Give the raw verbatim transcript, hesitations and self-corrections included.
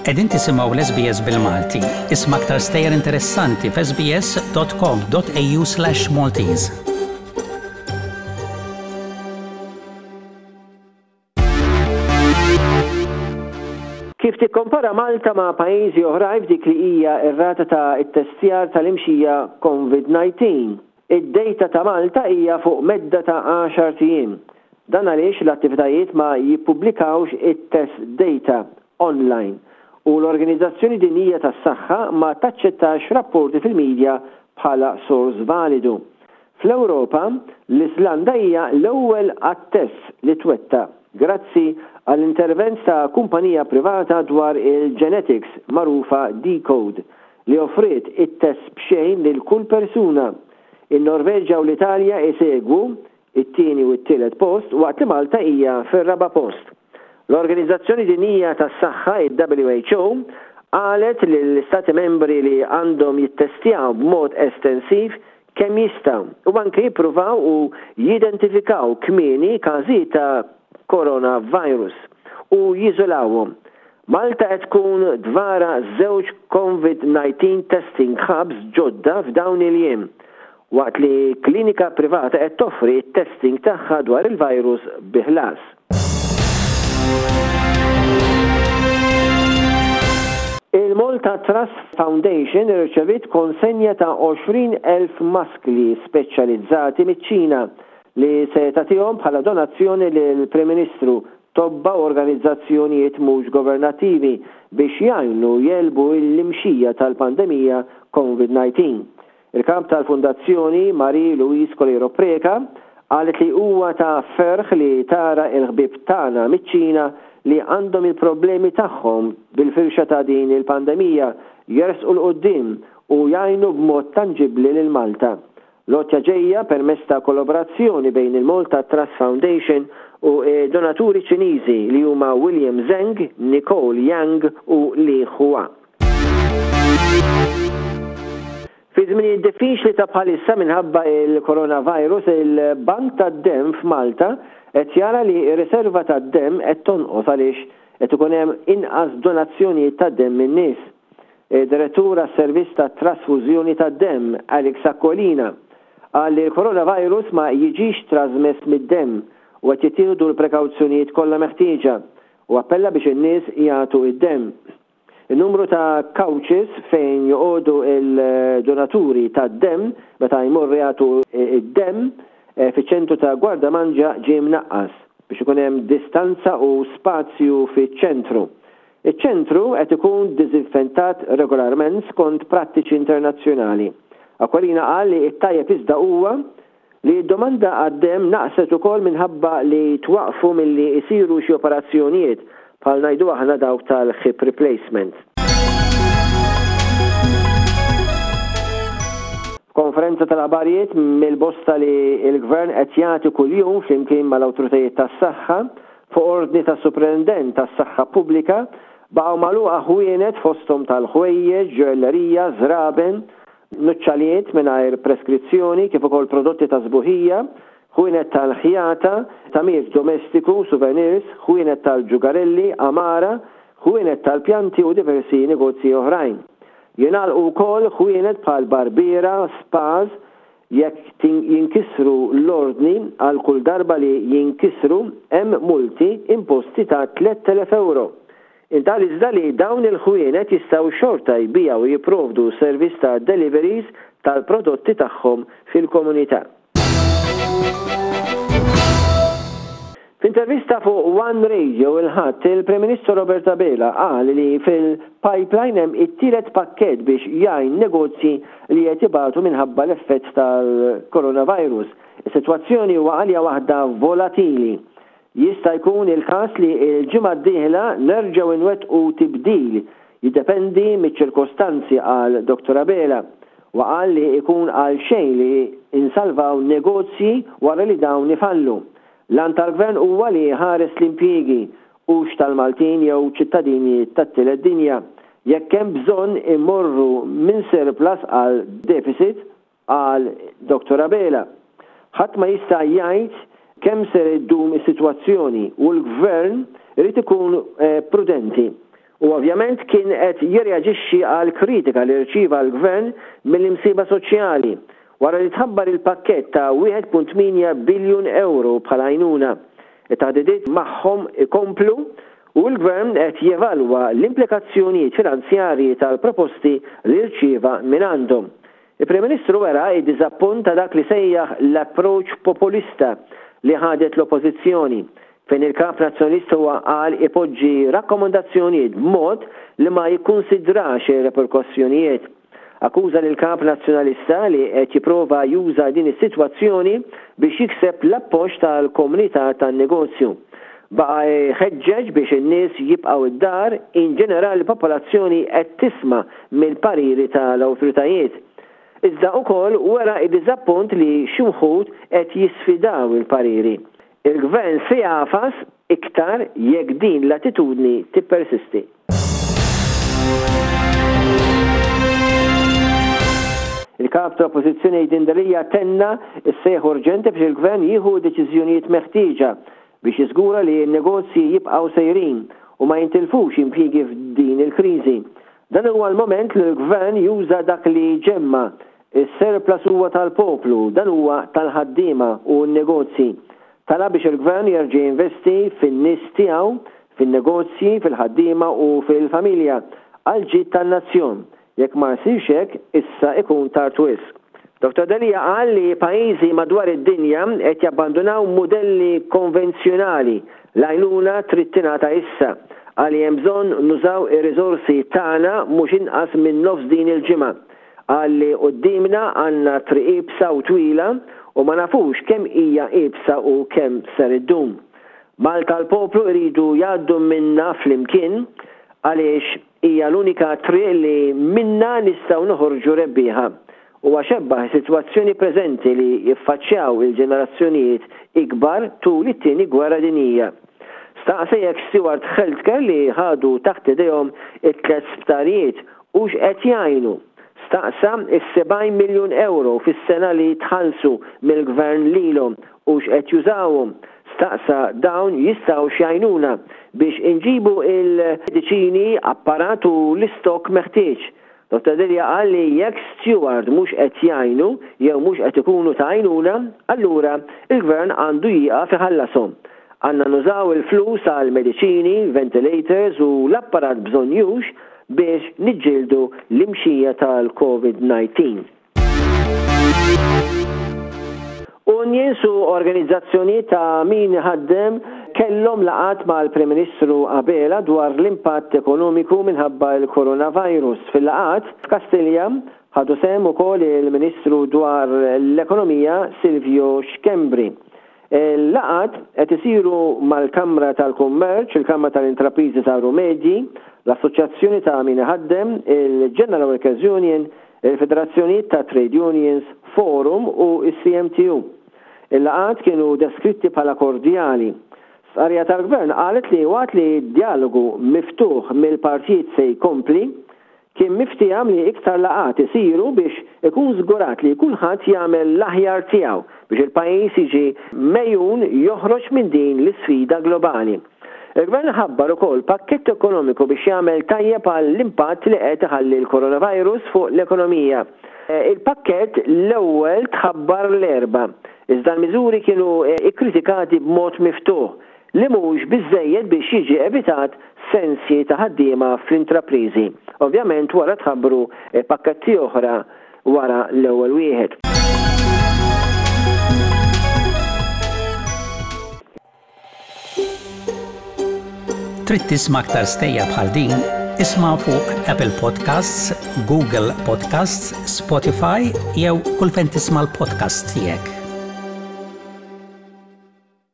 Qegħdin tisimgħu l-S B S bil-Malti. Isma' aktar stejjer interessanti f'S B S dot com dot A U slash Maltese. Kif tikkompara Malta ma' pajjiżi oħrajn f'dik li hija r-rata ta' ittestjar tal-imxija COVID nineteen? Id-data ta' Malta hija fuq medda ta' għaxart ijiem. Dan għaliex l-attivitajiet ma jippubblikawx it-test data online u l-Organizzazzjoni Dinjija tas-Saħħa ma taċċettax rapporti fil-medja bħala sors validu. Fl-Ewropa, l-Islanda hija l-ewwel għat-test li twettaq grazzi għall-intervent ta' kumpanija privata dwar il-genetics magħrufa deCODE li offriet it-test b'xejn lil kull persuna. In-Norveġja u l-Italja isegwu it-tieni u t-tielet post, waqt li Malta hija fir-raba' post. L-Organizzazzjoni Dinjija tas-Saħħa, il-W H O, qalet li l-Istati membri li għandhom jittestjaw b'mod estensiv kemm jistgħu u anke jippruvaw u jidentifikaw kmieni każijiet ta' coronavirus u jiżolawhom. Malta qed tkun tvara żewġ COVID nineteen testing hubs ġodda f'dawn il-jiem, waqt li klinika privata qed toffri testing tagħha dwar il-virus bi ħlas. Il-Malta Trust Foundation irċevit konsenja ta' għoxrin elf maskli speċjalizzati miċ-Ċina li se tagħtihom bħala donazzjoni lill-Prim Ministru, tobba u organizzazzjonijiet mhux governattivi biex jgħinu jegħlbu l-imxija tal-pandemija COVID nineteen. Il-kap tal-Fundazzjoni, Marie Louise Coleiro Preca, qalet li huwa ta' ferħ li tara il-ħbib tagħna miċ-Ċina li għandhom il-problemi tagħhom bil-firxa ta' din il-pandemija jersqu 'l quddiem u jgħinu b'mod tangibli lil Malta. L-għotja ġejja permezz ta' kollaborazzjoni bejn il-Malta Trust Foundation u donaturi Ċiniżi li huma William Zheng, Nicole Yang u Li Hua. Fi żminijiet diffiċli ta' bħalissa minħabba il-coronavirus, il-Bank tad-Dem f'Malta qed jara li r-riserva tad-dem qed tonqos għaliex qed ikun hemm inqas donazzjonijiet tad-dem min-nies. Direttur għas-servizz ta' trasfużjoni tad-dem, Alex Aquilina, qal li l-coronavirus ma jiġix trasmess mid-dem u qed jittieħdu l-prekawzjonijiet kollha meħtieġa, u appella biex in-nies jagħtu id-dem. Il-numru ta' couches fejn joqogħdu il-donaturi tad-dem meta jmorru jagħtu id-dem eh, fiċ-ċentru ta' Gwardamanġa ġie mnaqqas biex ikun hemm distanza u spazju fiċ-ċentru. Iċ-ċentru qed ikun diżinfettat regolarment skont prattiċi internazzjonali. Aquilina qal li t-tajjeb iżda huwa li d-domanda għad-dem naqset ukoll minħabba li twaqfu milli jsiru xi operazzjonijiet, bħal ngħidu aħna dawk tal-hip replacement. Konferenza tal-aħbarijiet mill-bosta li l-Gvern qed jagħti kuljum flimkien mal-awtoritajiet tas-saħħa fuq ordni tas-Superintendent tas-Saħħa Pubblika, baqgħu magħluqa ħwienet fosthom tal-ħwejjeġ, ġoellerija, żraben, nuċċalijiet mingħajr preskrizzjoni kif ukoll prodotti ta' sbuħija, ħwienet tal-ħjata, tagħmir domestiku, souvenirs, ħwienet tal-ġugarelli, għamara, ħwienet tal-pjanti u diversi negozji oħrajn. Jingħalqu wkoll ħwienet bħal barbiera, spas. Jekk jinkisru l-ordni, għal kull darba li jinkisru hemm multi imposti ta' tliet elef euro. Intqal iżda li dawn il-ħwienet jistgħu xorta jbigħu u jipprovdu servizz ta' deliveries tal-prodotti tagħhom fil-komunità. F'intervista fuq One Radio il-Ħadd, il-Prim Ministru Robert Abela qal li fil-pipeline hemm it-tielet pakkett biex jgħin negozji li qed ibatu minħabba l-effett tal-coronavirus. Is-sitwazzjoni huwa għalija waħda volatili. Jista' jkun il-każ li l-ġimgħa d-dieħla nerġgħu nwettqu tibdil, jiddependi miċ-ċirkostanzi, qal Doktor Abela. Wa qal li ikun għal xejn li insalvaw negozji wara li dawn ifallu. L-għan tal-gvern huwa li jħares l-impjiegi, hux tal-Maltin jew ċittadini tat-tielet dinja. Jekk hemm bżonn immorru minn surplus għal deficit, qal Doktor Abela. Ħadd ma jista' jgħid kemm ser iddum is-sitwazzjoni u l-gvern irid ikun eh, prudenti. U ovvjament kien qed jirreaġixxi għal kritika li rċieva l-Gvern mill-imsieħba soċjali wara li tħabbar il-pakkett ta' wieħed punt tmienja biljun ewro bħala għajnuna. It-taħdidiet magħhom ikomplu u l-Gvern qed jevalwa l-implikazzjonijiet finanzjarji tal-proposti li rċieva mingħandhom. Il-Prim Ministru wera d-diżappunt ta' dak li sejjaħ l-approach populista li ħadet l-Oppożizzjoni, fejn il-Kap Nazzjonalista huwa qal ipoġġi rakkomandazzjonijiet b'mod li ma jikkunsidrax ir-reperkussjonijiet. Akkuża lill-Kap Nazzjonalista li qed jipprova juża din is-sitwazzjoni biex jikseb l-appoġġ tal-komunità tan-negozju. Baqa' jħeġġeġ biex in-nies jibqgħu id-dar, in ġenerali l-popolazzjoni qed tisma' mill-pariri tal-awtoritajiet. Iżda ukoll wera d-diżappunt li xi wħud qed jisfidaw il-pariri. Il-Gvern se jagħfas iktar jekk din l-attitudni tippersisti. Il-Kap tal-Oppożizzjoni Adrian Delia tenna s-sejħ urġenti biex il-Gvern jieħu deċiżjonijiet meħtieġa biex jiżgura li n-negozji jibqgħu sejrin u ma jintilfux impjiegi f'din il-kriżi. Dan huwa l-mument li l-Gvern juża dak li ġemma. Is-surplus huwa tal-poplu, dan huwa tal-ħaddiema u n-negozji. Talab biex il-Gvern jerġa' jinvesti fin-nies tiegħu, fin-negozji, fil-ħaddiema u fil-familja għall-ġid tan-nazzjon. Jekk ma jsirx hekk, issa ikun tard wisq. Dottor Delia qal li pajjiżi madwar id-dinja qed jabbandunaw mudelli konvenzjonali, l-għajnuna trid tingħata issa. Qal li hemm bżonn nużaw ir-riżorsi tagħna mhux inqas minn nofs din il-ġimgħa. Qal li quddiemna għandna triq iebsa u twila u ma nafux kemm hija iebsa u kemm ser iddum. Malta l-poplu jridu jgħaddu minna flimkien għaliex hija l-unika triq li minna nistgħu noħorġu rebbieħa. Huwa xebbaħ is-sitwazzjoni preżenti li jiffaċċjaw il-ġenerazzjonijiet ikbar tul it-Tieni Gwerra Dinjija. Staqsa jekk Steward Healthcare li ħadu taħt idejhom it-tliet sptarijiet hux qed jgħinu. Staqsa is-sebgħin miljun ewro fis-sena li tħallsu mill-Gvern lilhom hux qed jużawhom. Staqsa dawn jistgħux jgħinuna biex inġibu il-mediċini, apparat u l-istokk meħtieġ. Dottor Delia qal li jekk Steward mhux qed jgħinu jew mhux qed ikunu ta' għajnuna, allura il-Gvern għandu jieqaf iħallashom. Għandna nużaw il-flus għal mediċini, ventilators u l-apparat bżonnjux biex niġġieldu l-imxija tal-Covid nineteen. Unions u organizzazzjonijiet ta' min iħaddem kellhom laqgħat mal-Prim Ministru Abela dwar l-impatt ekonomiku minħabba l-coronavirus. Fil-laqgħat f'Kastilja ħadu sehem ukoll il-Ministru dwar l-Ekonomija Silvio Schembri. Il-laqgħat qed isiru mal-Kamra tal-Kummerċ, il-Kamra tal-Intrapriżi Żgħar u Medji, l-Assoċjazzjoni ta' min iħaddem, il-General Workers Union, il-Federazzjonijiet ta' Trade Unions, Forum u s-C M T U. Il-laqgħat kienu deskritti bħala kordjali. Stqarrija tal-Gvern qalet li waqt li d-dialogu miftuħ mill-partijiet se jkompli, kien miftiehem li iktar laqgħat isiru biex ikun żgurat li kulħadd jagħmel l-aħjar tiegħu biex il-pajjiż jiġi mejjun joħroġ minn din l-isfida globali. Il-Gvern ħabbar ukoll pakkett ekonomiku biex jagħmel tajjeb għall-impatt li qed iħalli l-coronavirus fuq l-ekonomija. Il-pakkett l-ewwel tħabbar l-Erbgħa, iżda l-miżuri kienu ikkritikati b'mod miftuħ li mhux biżżejjed biex jiġi evitat sensi ta' ħaddiema fl-intrapriżi. Ovvjament wara tħabbru pakketti oħra wara l-ewwel wieħed. Trid tisma' aktar stejjer bħal din? Isma' fuq Apple Podcasts, Google Podcasts, Spotify jew kull fejn tisma' l-podcasts tiegħek.